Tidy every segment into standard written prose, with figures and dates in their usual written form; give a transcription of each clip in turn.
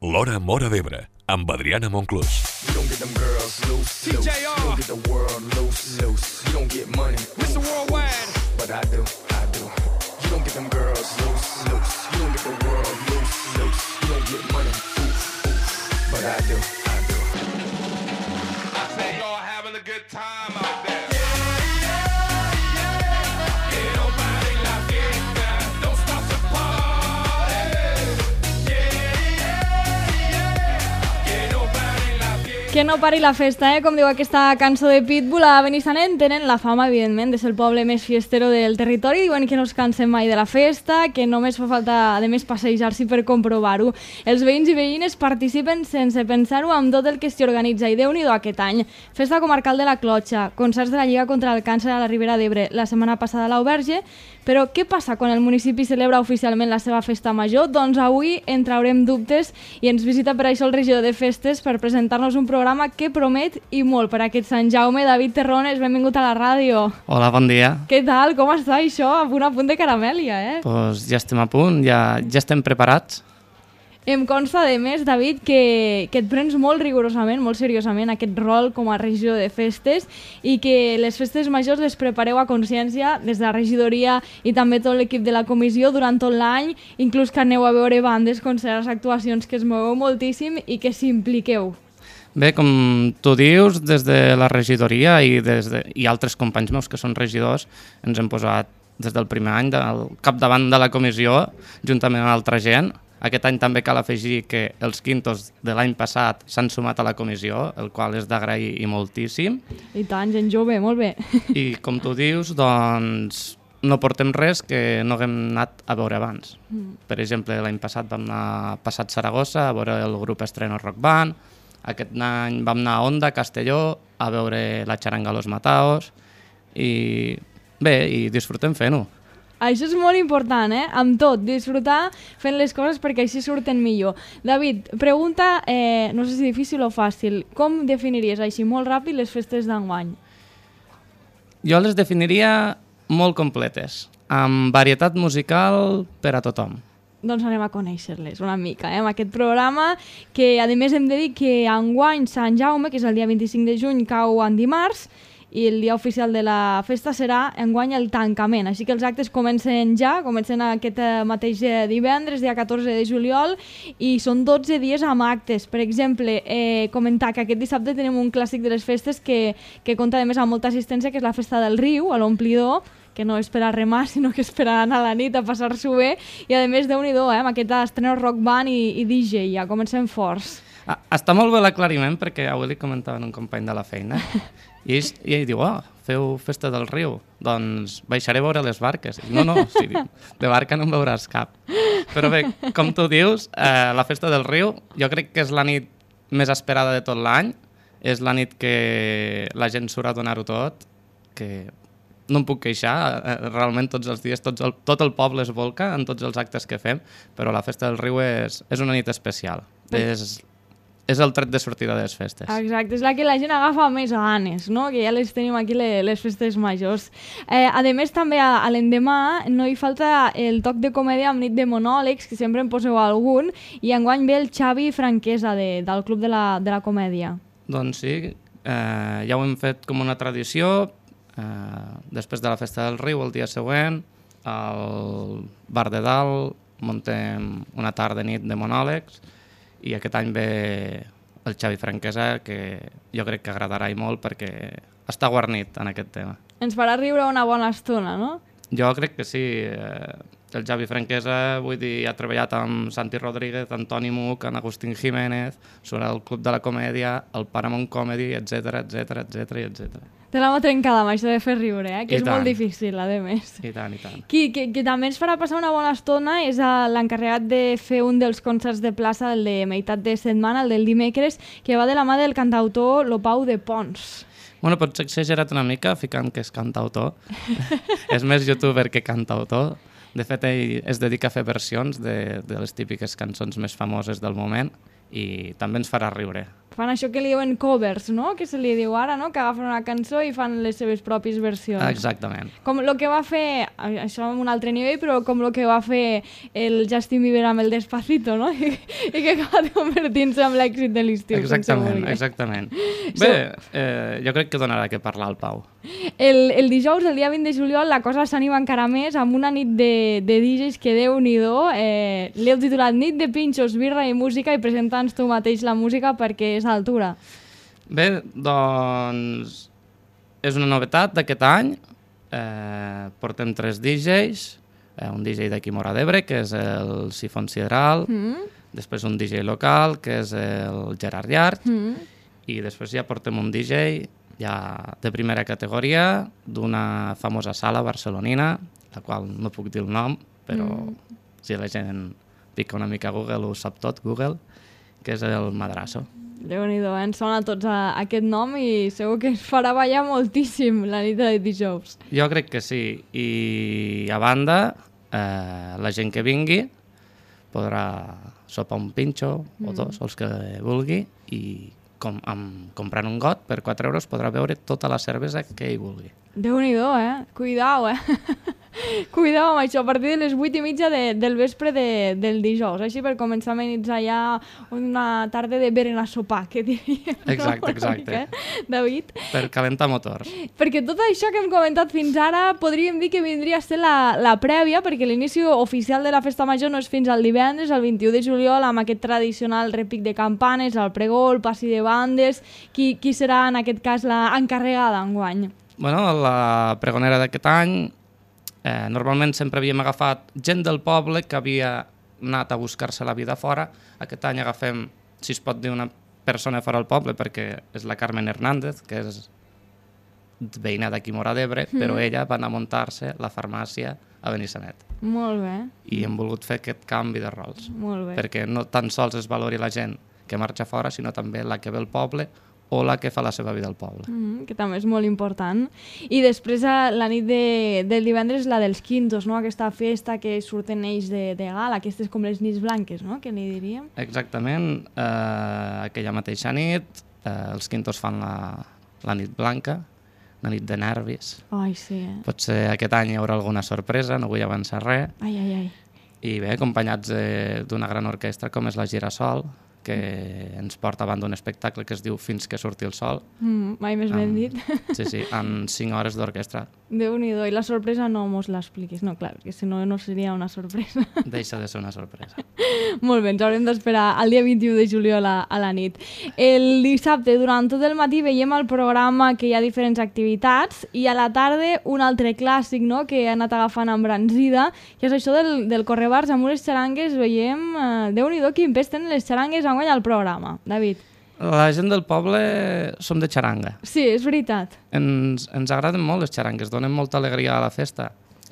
L'Hora Móra d'Ebre, amb Adriana Monclús. You don't get them girls loose, loose. You don't get the world loose, loose. You don't get money, Mr. Worldwide. but I do, I do. You don't get them girls loose, loose. You don't get the world loose, loose. You don't get money, but I do, I do. I say y'all having a good time out there. Que no pari la festa, com diu aquesta cançó de Pitbull. A Benissanet tenen la fama, evidentment, de ser el poble més fiestero del territori. Diuen que no es cansen mai de la festa, que només fa falta, a més, passejar-s'hi per comprovar-ho. Els veïns i veïnes participen sense pensar-ho amb tot el que s'hi organitza. I Déu-n'hi-do aquest any. Festa comarcal de la Clotxa, concerts de la Lliga contra el Càncer a la Ribera d'Ebre la setmana passada a l'Auberge. Però què passa quan el municipi celebra oficialment la seva festa major? Doncs avui en traurem dubtes i ens visita per això el regidor de festes per presentar-nos un programa que promet i molt per aquest Sant Jaume. David Terrones, benvingut a la ràdio. Hola, bon dia. Què tal? Com està això? A punt de caramèlia, Pues ja estem a punt, ja estem preparats. Em consta, de més, David, que et prens molt rigorosament, molt seriosament aquest rol com a regidor de festes i que les festes majors les prepareu a consciència des de la regidoria i també tot l'equip de la comissió durant tot l'any, inclús que aneu a veure bandes, concerts, actuacions, que es moveu moltíssim i que s'impliqueu. Bé, com tu dius, des de la regidoria i altres companys meus que són regidors, ens hem posat des del primer any al capdavant de la comissió, juntament amb altra gent. Aquest any també cal afegir que els quintos de l'any passat s'han sumat a la comissió, el qual és d'agrair i moltíssim. I tant, gent jove, molt bé. I com tu dius, doncs no portem res que no haguem anat a veure abans. Per exemple, l'any passat vam anar a Passat Saragossa a veure el grup Estreno Rock Band. Aquest any vam anar a Onda, a Castelló, a veure la xaranga Los Mataos. I bé, i disfrutem fent-ho. Això és molt important, amb tot, disfrutar fent les coses perquè així surten millor. David, pregunta, no sé si difícil o fàcil, com definiries així molt ràpid les festes d'enguany? Jo les definiria molt completes, amb varietat musical per a tothom. Doncs anem a conèixer-les una mica, amb aquest programa que, a més, hem de dir que enguany Sant Jaume, que és el dia 25 de juny, cau en dimarts, i el dia oficial de la festa serà enguany el tancament, així que els actes comencen aquest mateix divendres, dia 14 de juliol, i són 12 dies amb actes. Per exemple, comentar que aquest dissabte tenim un clàssic de les festes que compta a més amb molta assistència, que és la Festa del Riu, a l'Omplidor, que no és per a remar, sinó que és per a anar a la nit a passar-s'ho bé, i a més, Déu-n'hi-do, amb aquest estreno rock band i DJ, ja comencem forts. Està molt bé l'aclariment, perquè avui li comentava un company de la feina, i ell diu, feu Festa del Riu, doncs baixaré a veure les barques. No, sí, de barca no en veuràs cap. Però bé, com tu dius, la Festa del Riu jo crec que és la nit més esperada de tot l'any, és la nit que la gent surt a donar-ho tot, que no em puc queixar, realment tots els dies tot el poble es volca en tots els actes que fem, però la Festa del Riu és una nit especial, és el tret de sortida de les festes. Exacte, és la que la gent agafa més ganes, no? Que ja les tenim aquí, les festes majors. A més, també a l'endemà no hi falta el toc de comèdia amb nit de monòlegs, que sempre en poseu algun, i enguany ve el Xavi Franquesa del Club de la Comèdia. Doncs sí, ja ho hem fet com una tradició. Després de la Festa del Riu, el dia següent, al Bar de Dalt muntem una tarda nit de monòlegs, i aquest any ve el Xavi Franquesa, que jo crec que agradarà i molt perquè està guarnit en aquest tema. Ens farà riure una bona estona, no? Jo crec que sí. El Xavi Franquesa, vull dir, ha treballat amb Santi Rodríguez, Antoni Muc, amb Agustín Jiménez, sobre el Club de la Comèdia, el Paramount Comedy, etc. Te l'hem trencada amb això de fer riure, que és molt difícil, a més. I tant, i tant. Qui també ens farà passar una bona estona és l'encarregat de fer un dels concerts de plaça, el de meitat de setmana, el del dimecres, que va de la mà del cantautor Lopau de Pons. Bueno, potser he exagerat una mica ficant que és cantautor. És més youtuber que cantautor. De fet, ell es dedica a fer versions de les típiques cançons més famoses del moment i també ens farà riure. Fan això que li diuen covers, no? Que se li diu ara, no? Que agafen una cançó i fan les seves pròpies versions. Exactament. Com el que va fer, això en un altre nivell, però com el que va fer el Justin Bieber amb el Despacito, no? I que acaba convertint-se en l'èxit de l'estiu. Exactament. Bé, jo crec que donarà que parlar al Pau. El dijous, el dia 20 de juliol, la cosa s'anima encara més amb una nit de DJs que Déu-n'hi-do. L'heu titulat Nit de pinxos, birra i música i presenta'ns tu mateix la música perquè és a altura. Bé, doncs és una novetat d'aquest any. Portem 3 DJs, un DJ d'aquí Móra d'Ebre, que és el Sifon Sideral, després un DJ local, que és el Gerard Llart, i després ja portem un DJ ja de primera categoria d'una famosa sala barcelonina, la qual no puc dir el nom, però si la gent pica una mica a Google ho sap tot, Google, que és el Madrazo. Déu-n'hi-do, ens sona a tots aquest nom i segur que ens farà ballar moltíssim la nit de dijous. Jo crec que sí, i a banda, la gent que vingui podrà sopar un pinxo o 2, els que vulgui, i comprant un got per 4 euros podrà beure tota la cervesa que ell vulgui. Déu-n'hi-do, Cuidao, Cuidao amb això, a partir de les 8:30 del vespre del dijous, així per començar a amenitzar ja una tarda de berenar sopar, que diríem. Exacte. David? Per calentar motors. Perquè tot això que hem comentat fins ara podríem dir que vindria a ser la prèvia, perquè l'inici oficial de la festa major no és fins al divendres, el 21 de juliol, amb aquest tradicional repic de campanes, el pregó, el passi de bandes. Qui serà en aquest cas l'encarregada enguany? Bueno, la pregonera d'aquest any normalment sempre havíem agafat gent del poble que havia anat a buscar-se la vida fora. Aquest any agafem, si es pot dir, una persona fora del poble, perquè és la Carmen Hernández, que és veïna d'aquí Móra d'Ebre, però ella va anar a muntar-se la farmàcia a Benissanet. Molt bé. I hem volgut fer aquest canvi de rols. Molt bé. Perquè no tan sols es valori la gent que marxa fora, sinó també la que ve al poble o la que fa la seva vida al poble. Que també és molt important. I després la nit del divendres la dels quintos, no? Aquesta festa que surten ells de gala, aquestes com les nits blanques, no? Que li diríem. Exactament. Aquella mateixa nit els quintos fan la nit blanca, una nit de nervis. Ai, sí, Potser aquest any hi haurà alguna sorpresa, no vull avançar res. Ai. I bé, acompanyats d'una gran orquestra com és la Girasol, que ens porta davant d'un espectacle que es diu Fins que surti el sol. Mai més ben dit. Sí, en 5 hores d'orquestra. Déu-n'hi-do, i la sorpresa no mos l'expliquis. No, clar, que si no, no seria una sorpresa. Deixa de ser una sorpresa. Molt bé, ens haurem d'esperar el dia 21 de juliol a la nit. El dissabte, durant tot el matí, veiem al programa que hi ha diferents activitats i a la tarda un altre clàssic, no?, que ha anat agafant embranzida, que és això del correbars amb unes xarangues. Veiem, Déu-n'hi-do, quin pes tenen les xarangues enguany al programa, David. La gent del poble som de xaranga. Sí, és veritat. Ens agraden molt les xarangues, donen molta alegria a la festa.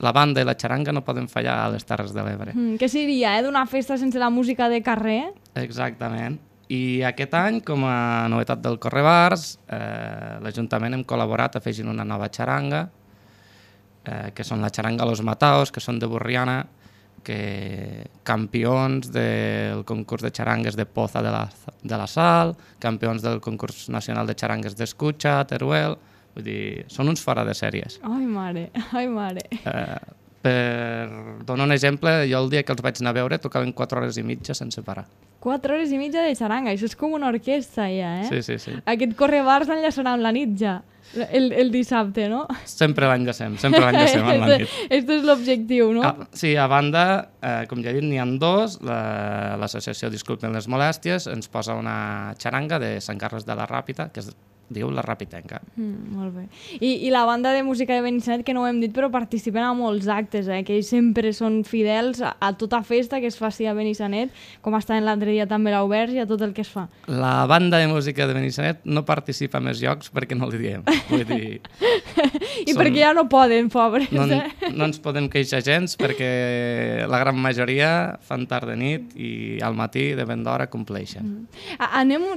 La banda i la xaranga no poden fallar a les Terres de l'Ebre. Què seria, d'una festa sense la música de carrer? Exactament. I aquest any, com a novetat del Correbars, l'Ajuntament hem col·laborat afegint una nova xaranga, que són la xaranga Los Mataos, que són de Borriana, que campions del concurs de xarangues de Poza de la Sal, campions del concurs nacional de xarangues d'Escucha, Teruel, vull dir, són uns fora de sèries. Ai, mare. Per donar un exemple, jo el dia que els vaig anar a veure tocaven 4 hores i mitja sense parar. 4 hores i mitja de xaranga, això és com una orquestra ja, Sí. Aquest correbars l'enllaçarà amb la nit ja, el dissabte, no? Sempre l'enllacem amb la nit. Este és l'objectiu, no? Sí, a banda, com ja he dit, n'hi ha 2. L'associació Disculpen les Molèsties ens posa una xaranga de Sant Carles de la Ràpita, que es diu La Rapitenca. Molt bé. I la banda de música de Benissanet, que no ho hem dit, però participen a molts actes, que ells sempre són fidels a tota festa que es faci a Benissanet, com estaven l'altre dia també l'Oberts i a tot el que es fa. La banda de música de Benissanet no participa a més llocs perquè no li diem. Vull dir... perquè ja no poden, pobres. No ens podem queixar gens perquè la gran majoria fan tard de nit i al matí de ben d'hora compleixen.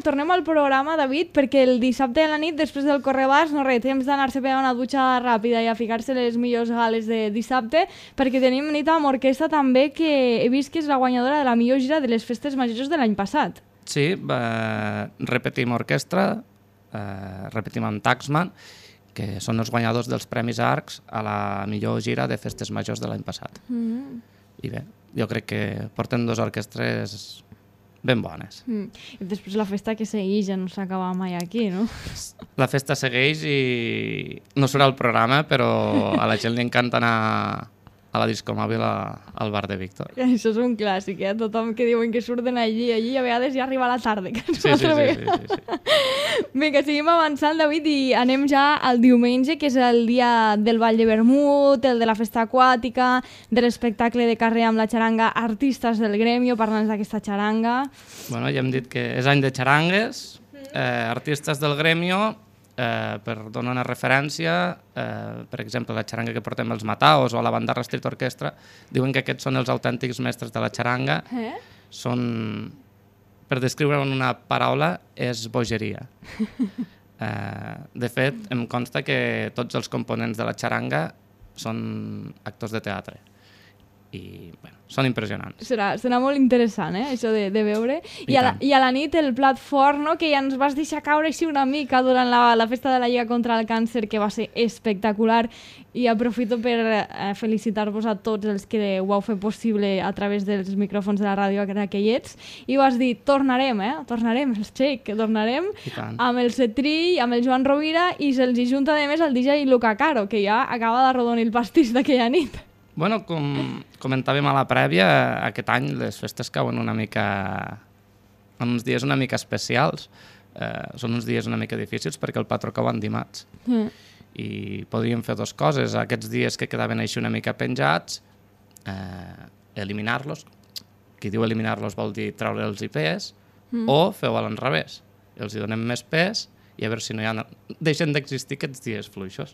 Tornem al programa, David, perquè el dissabte a la nit, després del correbars, no res, temps d'anar-se a pegar una dutxa ràpida i a ficar-se les millors gales de dissabte, perquè tenim nit amb orquestra també, que he vist que és la guanyadora de la millor gira de les festes majors de l'any passat. Sí, repetim orquestra, repetim amb Taxman, que són els guanyadors dels Premis Arcs a la millor gira de festes majors de l'any passat. I bé, jo crec que porten 2 orquestres ben bones. I després la festa que segueix ja no s'acaba mai aquí, no? La festa segueix i no surt al programa, però a la gent li encanta anar a la disco mòbil al bar de Víctor. Això és un clàssic, tothom que diuen que surten allí, a vegades ja arriba la tarda. Sí. Vinga, seguim avançant, David, i anem ja al diumenge, que és el dia del Ball de Vermut, el de la festa aquàtica, de l'espectacle de carrer amb la xaranga Artistes del Gremio, parlant d'aquesta xaranga. Bueno, ja hem dit que és any de xarangues, Artistes del Gremio, per donar una referència, per exemple, la xaranga que portem els Mataos o la Bandarra Street Orchestra, diuen que aquests són els autèntics mestres de la xaranga. Són, per descriure en una paraula, és bogeria. De fet, em consta que tots els components de la xaranga són actors de teatre. I, bueno, són impressionants. Serà molt interessant, això de veure. I a la nit el plat fort, no?, que ja ens vas deixar caure així una mica durant la festa de la Lliga contra el Càncer, que va ser espectacular, i aprofito per felicitar-vos a tots els que ho vau fer possible a través dels micròfons de la ràdio aquellets, i vas dir, tornarem, els Cheik, tornarem amb el Cetrill, amb el Joan Rovira, i se'ls hi junta a més el DJ Luca Caro, que ja acaba d'arrodonir el pastís d'aquella nit. Bueno, com comentàvem a la prèvia, aquest any les festes cauen una mica en uns dies una mica especials. Són uns dies una mica difícils perquè el patró cau en dimarts. I podríem fer 2 coses. Aquests dies que quedaven així una mica penjats, eliminar-los. Qui diu eliminar-los vol dir treure'ls pes, o feu-ho a l'enrevés. Els hi donem més pes i a veure si no deixen d'existir aquests dies fluixos.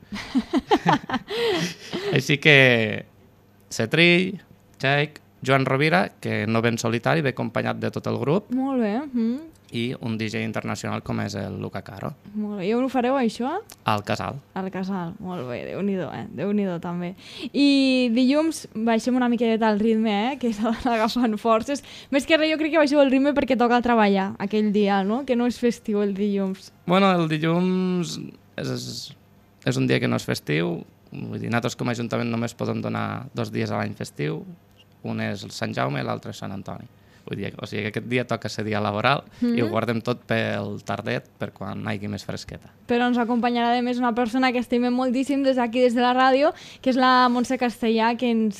Així que Cetrill, Cheik, Joan Rovira, que no ve en solitari, ve acompanyat de tot el grup. Molt bé. I un DJ internacional com és el Luca Caro. Molt bé. I on ho fareu, això? Al Casal. Al Casal. Molt bé. Déu-n'hi-do, Déu-n'hi-do, també. I dilluns baixem una miqueta el ritme, que s'ha d'anar agafant forces. Més que res, jo crec que baixeu el ritme perquè toca treballar aquell dia, no? Que no és festiu el dilluns. Bueno, el dilluns és un dia que no és festiu. Vull dir, nosaltres com a Ajuntament només podem donar 2 dies a l'any festiu. Un és el Sant Jaume i l'altre és Sant Antoni. Vull dir, o sigui que aquest dia toca ser dia laboral i ho guardem tot pel tardet per quan hi hagi més fresqueta. Però ens acompanyarà a més una persona que estimem moltíssim des d'aquí, des de la ràdio, que és la Montse Castellà, que ens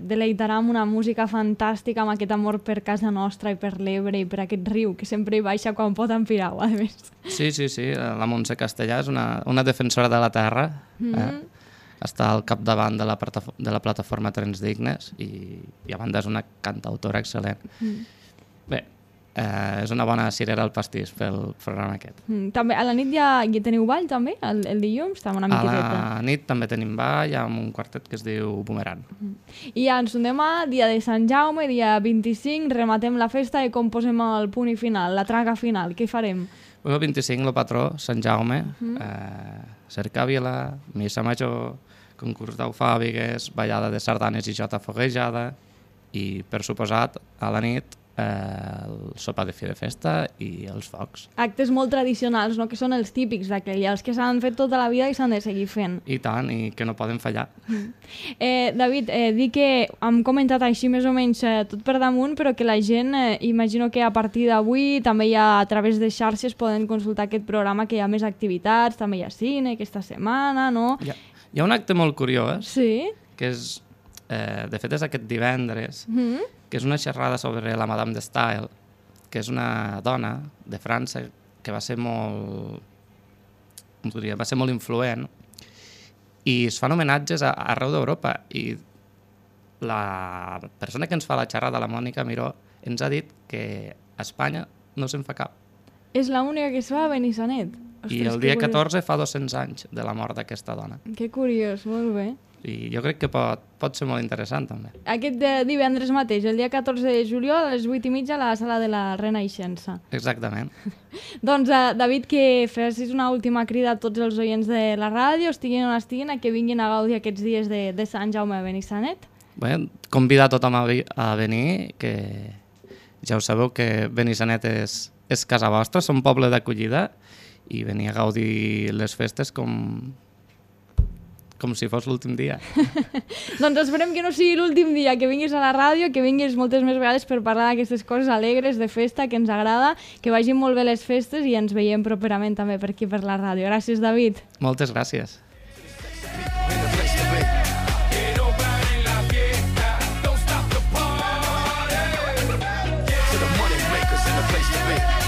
deleitarà amb una música fantàstica, amb aquest amor per casa nostra i per l'Ebre i per aquest riu que sempre hi baixa quan pot en Pirau, a més. Sí, la Montse Castellà és una defensora de la terra, està al capdavant de la plataforma Trens Dignes i a banda és una cantautora excel·lent. Bé, és una bona cirera al pastís pel programa aquest. També a la nit ja teniu ball, també? El dilluns? Una miqueteta. A la nit també tenim ball amb un quartet que es diu Boomerang. I ja ens demà, dia de Sant Jaume, dia 25, rematem la festa i com posem el punt i final, la traga final. Què farem? El 25, el patró, Sant Jaume, cercàvila, missa major, concurs d'eufàbigues, ballada de sardanes i jota foguejada i, per suposat, a la nit el sopar de fi de festa i els focs. Actes molt tradicionals, no?, que són els típics d'aquell, els que s'han fet tota la vida i s'han de seguir fent. I tant, i que no poden fallar. David, dic que hem comentat així més o menys tot per damunt, però que la gent, imagino que a partir d'avui també ja a través de xarxes poden consultar aquest programa, que hi ha més activitats, també hi ha cine aquesta setmana, no? Hi ha un acte molt curiós, sí? Que és, de fet és aquest divendres, que és una xerrada sobre la Madame de Staël, que és una dona de França que va ser molt influent, i es fan homenatges arreu d'Europa, i la persona que ens fa la xerrada, la Mònica Miró, ens ha dit que a Espanya no se'n fa cap. És l'única que es fa a Benissanet. Ostres, I el dia 14 fa 200 anys de la mort d'aquesta dona. Que curiós, molt bé. I jo crec que pot ser molt interessant, també. Aquest divendres mateix, el dia 14 de juliol, a les 8:30, a la sala de la Renaixença. Exactament. Doncs, David, que fessis una última crida a tots els oients de la ràdio, estiguin on estiguin, a que vinguin a gaudir aquests dies de Sant Jaume a Benissanet. Bé, convidar tothom a venir, que Ja ho sabeu que Benissanet és casa vostra, som poble d'acollida i venir a gaudir les festes com si fos l'últim dia. Doncs esperem que no sigui l'últim dia, que vinguis a la ràdio, que vinguis moltes més vegades per parlar d'aquestes coses alegres de festa, que ens agrada, que vagin molt bé les festes i ens veiem properament també per aquí per la ràdio. Gràcies, David. Moltes gràcies. To the money makers in the place to be.